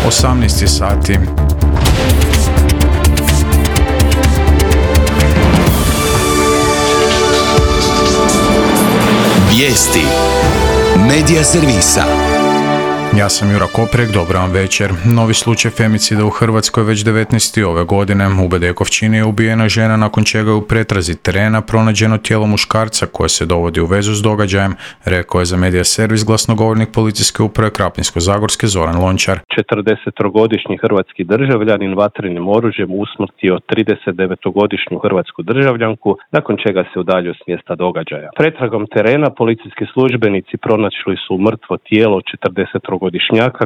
18 sati. Vijesti Medija servisa. Ja sam Jura Koprek, dobro vam večer. Novi slučaj femicida u Hrvatskoj već 19. ove godine. U Bedekovčini je ubijena žena nakon čega je u pretrazi terena pronađeno tijelo muškarca koje se dovodi u vezu s događajem, rekao je za Medija servis glasnogovornik policijske uprave Krapinsko-zagorske Zoran Lončar. 40-godišnji hrvatski državljanin vatrenim oružjem usmrtio 39-godišnju hrvatsku državljanku, nakon čega se udaljio s mjesta događaja. Pretragom terena policijski službenici pronašli su mrtvo tijelo 40-godišnjaka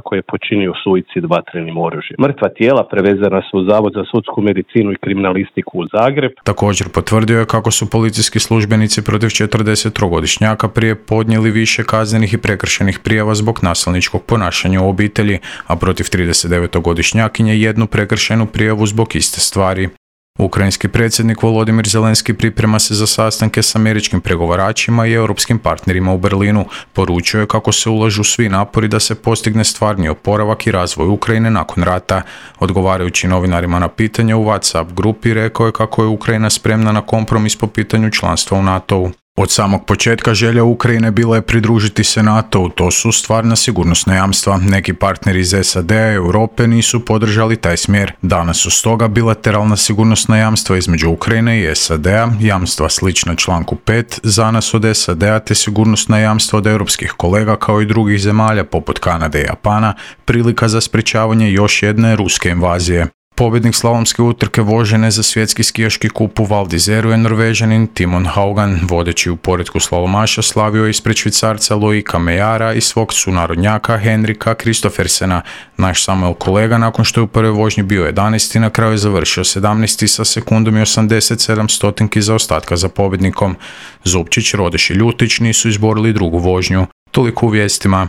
koji je počinio suicid vatrenim oružjem. Mrtva tijela prevezana su u Zavod za sudsku medicinu i kriminalistiku u Zagreb. Također potvrdio je kako su policijski službenici protiv 40-godišnjaka prije podnijeli više kaznenih i prekršajnih prijava zbog nasilničkog ponašanja u obitelji, a protiv 39-godišnjakinje jednu prekršajnu prijavu zbog iste stvari. Ukrajinski predsjednik Volodimir Zelenski priprema se za sastanke s američkim pregovaračima i europskim partnerima u Berlinu. Poručio je kako se ulažu svi napori da se postigne stvarni oporavak i razvoj Ukrajine nakon rata. Odgovarajući novinarima na pitanje u WhatsApp grupi, rekao je kako je Ukrajina spremna na kompromis po pitanju članstva u NATO-u. Od samog početka želja Ukrajine bila je pridružiti se NATO-u, to su stvarna sigurnosna jamstva. Neki partneri iz SAD-a i Europe nisu podržali taj smjer. Danas su stoga bilateralna sigurnosna jamstva između Ukrajine i SAD-a, jamstva slična članku 5 za nas od SAD-a te sigurnosna jamstva od europskih kolega kao i drugih zemalja poput Kanade i Japana, prilika za sprječavanje još jedne ruske invazije. Pobjednik slalomske utrke vožene za svjetski skijaški kup u Val d'Izeru je Norvežanin Timon Haugan. Vodeći u poretku slalomaša slavio je ispred Švicarca Loika Mejara i svog sunarodnjaka Henrika Kristoffersena. Naš Samuel kolega nakon što je u prvoj vožnji bio 11. na kraju je završio 17. sa sekundom i 87 stotinki zaostatka za pobjednikom. Zupčić, Rodeš i Ljutić nisu izborili drugu vožnju. Toliko u vijestima.